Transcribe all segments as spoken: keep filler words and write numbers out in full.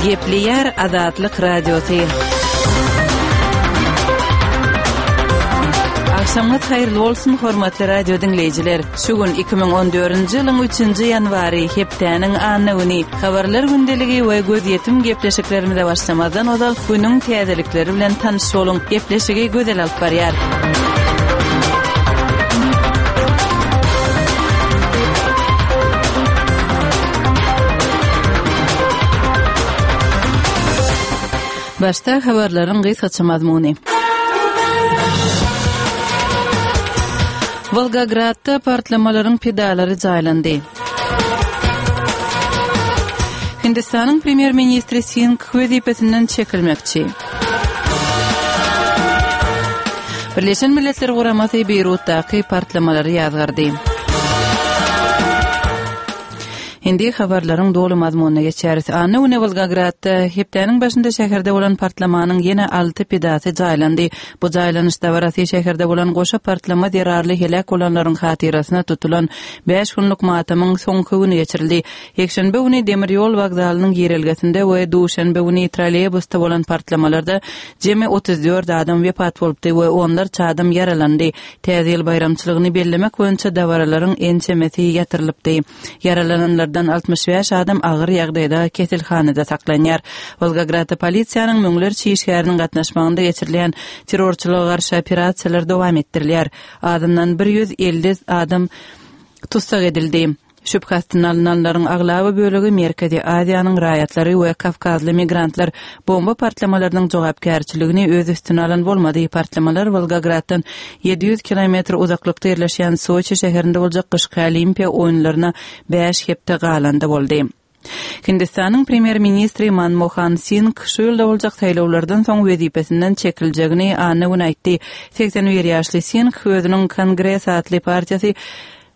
Gepleýär Azatlyk Radiosy. Agşamyňyz haýyrly bolsun, hormatly radio diňleýjiler. Şu gün iki müň on dördünji ýylyň üçünji ýanwary, hepdäniň anna güni. Habarlar gündeligi we gözýetim gepleşiklerimize başlamazdan ozal günüň täzelikleri bilen tanyş boluň. Gepleşigi Gözel alyp barýar. Başda habarlaryň gysgaça mazmuny. Wolgogradda partlamalaryň pidalary jaýlandy. Hindistanyň premýer-ministri Singh wezipesinden çekilmekçi. Birleşen Milletler Guramasy Beýrutdaky partlamalary ýazgardy. Indi habarlaryň doly mazmunyna geçýäris. Anna güni Wolgogradda hepdäniň başynda şäherde bolan partlamanyň ýene alty pidasy jaýlandy. Bu jaýlanyş dabarasy şäherde bolan goşa partlama zerarly heläk bolanlaryň hatyrasyna tutulan bäş günlük matamyň soňky güni geçirildi. Ýekşenbe güni demir ýol wokzalynyň girelgesinde we duşenbe güni trolleýbusda bolan partlamalarda jemi otuz dört adam wepat bolupdy we onlarça adam ýaralandy. Täze ýyl baýramçylygyny bellemek boýunça dabaralaryň ençemesi ýatyrylypdy. Ýaralananlardan altmyş bäş adam agyr ýagdaýda keselhanada saklanýar. Wolgogradda polisiýanyň müňlerçe işgäriniň gatnaşmagynda geçirilýän terrorçylyga garşy operasiýalar dowam etdirilýär. Azyndan bir ýüz elli adam tussag edildi. Şübhe astyna alynanlaryň aglaba bölegi Merkezi Aziýanyň raýatlary we kawkazly migrantlar. Bomba partlamalarynyň jogapkärçiligini öz üstüne alan bolmady. Partlamalar Wolgograddan ýedi ýüz kilometr uzaklykda ýerleşýän Soçi şäherinde boljak gyşky Olimpiýa oýunlaryna bäş hepde galanda boldy. Hindistanyň premýer-ministri Manmohan Singh şu ýylda boljak saýlawlardan soň wezipesinden çekiljegini anna güni aýtdy. Segsen bir ýaşly Singh özüniň Kongres atly partiýasy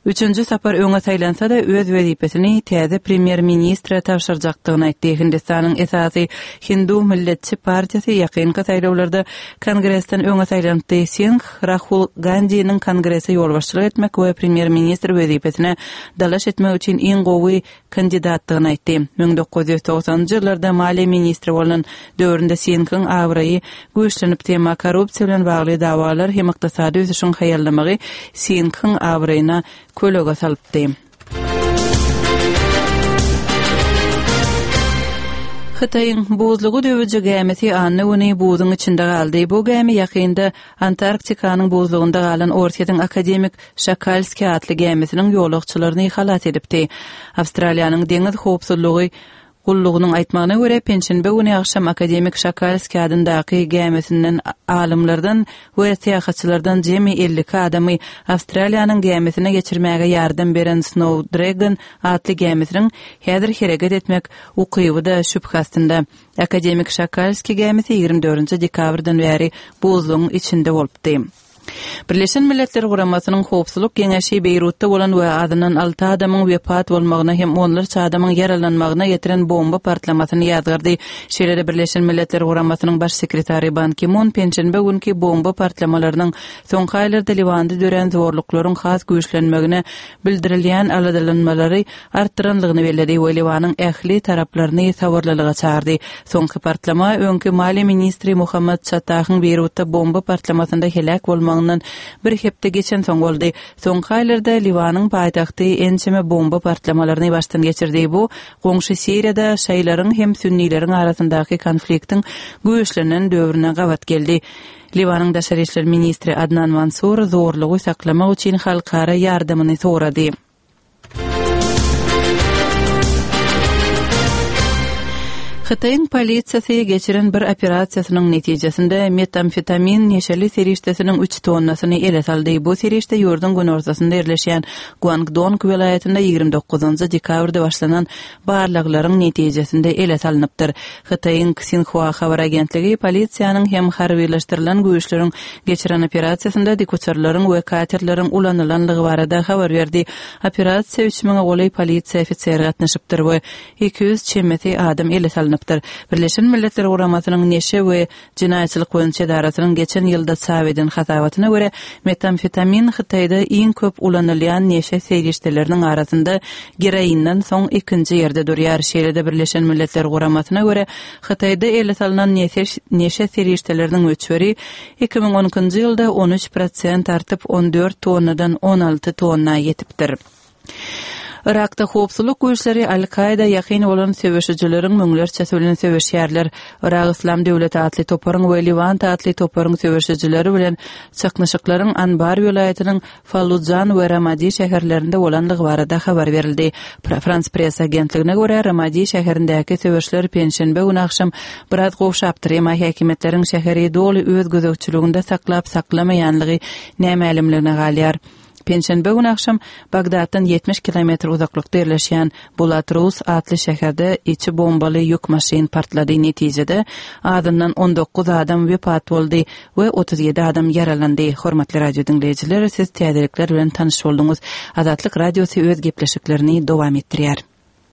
üçünji sapar öňe saýlansa-da öz wezipesini täze premýer-ministre tabşyrjakdygyny aýtdy. Hindistanyň esasy Hindu milletçi partiýasy ýakynky saýlawlarda Kongresden öňe saýlanypdy. Singh Rahul Gandhiniň Kongrese ýolbaşçylyk etmek we premýer-ministr wezipesine dalaş etmek üçin iň gowy kandidatdygyny aýtdy. Müň dokuz ýüz togsanynjy ýyllarda maliýe ministri bolan döwründe Singhiň abraýy güýçlenipdi, emma korrupsiýa bilen bagly dawalar hem ykdysady ösüşiň haýallamagy Singhiň abraýyna kölege salypdy. Hytaýyň buzlugy döwüji gämisi anna güni buzuň içinde galdy. Bu gämi ýakynda Antarktikanyň buzlugynda galan Orsýetiň akademik Şakalski atly gämisiniň ýolagçylaryny halas edipdi. Awstraliýanyň deňiz howpsuzlygy gullugynyň aýtmagyna görä, penşenbe güni agşam akademik Şakalski adyndaky gämisinden alymlardan we syýahatçylardan jemi elli iki adamy Awstraliýanyň gämisine geçirmäge ýardam beren Snow Dragon atly gämisiniň häzir hereket etmek ukyby-da şübhe astynda. Akademik Şakalski gämisi ýigrimi dördünji dekabrdan bäri buzlugyň içinde bolupdy. Birleşen Milletler Guramasynyň Howpsuzlyk Geňeşi Beýrutda bolan we azyndan alty adamyň wepat bolmagyna hem onlarça adamyň ýaralanmagyna getiren bomba partlamasyny ýazgardy. Şeýle-de Birleşen Milletler Guramasynyň baş sekretary Ban Ki-mun penşenbe günki bomba partlamalarynyň soňky aýlarda Liwanda dörän zorluklaryň has güýçlenmegine bildirilýän aladalanmalary artdyranlygyny belledi we Liwanyň ähli taraplaryny sabyrlylyga çagyrdy. Soňky partlama öňki maliýe ministri Muhammad Çatahyň Beýrutda bomba partlamasynda heläk bolmagyndan bir hepde geçensoň boldy. Soňky aýlarda Liwanyň paýtagty ençeme bomba partlamalaryny başdan geçirdi. Bu goňşy Siriýada şaýlaryň hem sünnileriň arasyndaky konfliktiň güýçlenen döwrüne gabat geldi. Liwanyň daşary işler ministri Adnan Mansur zorlugy saklamak üçin halkara ýardamyny sorady. Hytaýyň polisiýasy geçiren bir operasiýasynyň netijesinde metamfetamin neşeli serişdesiniň üç tonnasyny ele saldy. Bu serişde ýurduň günortasynda ýerleşýän Guangdong welaýatynda ýigrimi dokuzynjy dekabrda başlanan barlaglaryň netijesinde ele salynypdyr. Hytaýyň Xinhua habar agentligi polisiýanyň hem harbylaşdyrylan güýçleriň geçiren operasiýasynda dikuçarlaryň we katerleriň ulanylanlygy barada habar berdi. Operasiýa üç müňe golaý polisiýa ofiseri gatnaşypdyr we iki ýüz çemesi adam ele salynypdyr. alnypdyr. Birleşen Milletler Guramasynyň Neşe we jenaýatçylyk boýunça edarasynyň geçen ýylda çap eden hasabatyna görä, metamfetamin Hytaýda iň köp ulanylýan neşe serişdeleriniň arasynda geroinden soň ikinji ýerde durýar. Şeýle-de Birleşen Milletler Guramasyna görä, Hytaýda ele salnan neşe serişdeleriniň möçberi iki müň on ikinji ýylda on üç prosent artyp, on dört tonnadan on alty tonna ýetipdir. Yrakda howpsuzlyk güýçleri Al-Kaýda ýakyn bolan söweşijileriň müňlerçesi bilen söweşýärler. Yrak Yslam döwleti atly toparyň we Lewant atly toparyň söweşijileri bilen çaknyşyklaryň Anbar welaýatynyň Fallujan we Ramadi şäherlerinde bolandygy barada habar berildi. Frans Press agentligine görä, Ramadi şäherindäki söweşler penşenbe güni agşam biraz gowşapdyr, emma häkimiýetleriň şäheri doly öz gözegçiliginde saklap-saklamaýanlygy nämälimligine galýar. Penşenbe güni agşam Bagdatdan ýetmiş kilometr uzaklykda ýerleşýän Bulatrus atly şäherde içi bombaly ýük maşyn partlady. Netijede azyndan on dokuz adam wepat boldy we otuz ýedi adam ýaralandy. Hormatly radio diňleýjiler, siz täzelikler bilen tanyş bolduňyz. Azatlyk Radiosy öz gepleşiklerini dowam etdirýär.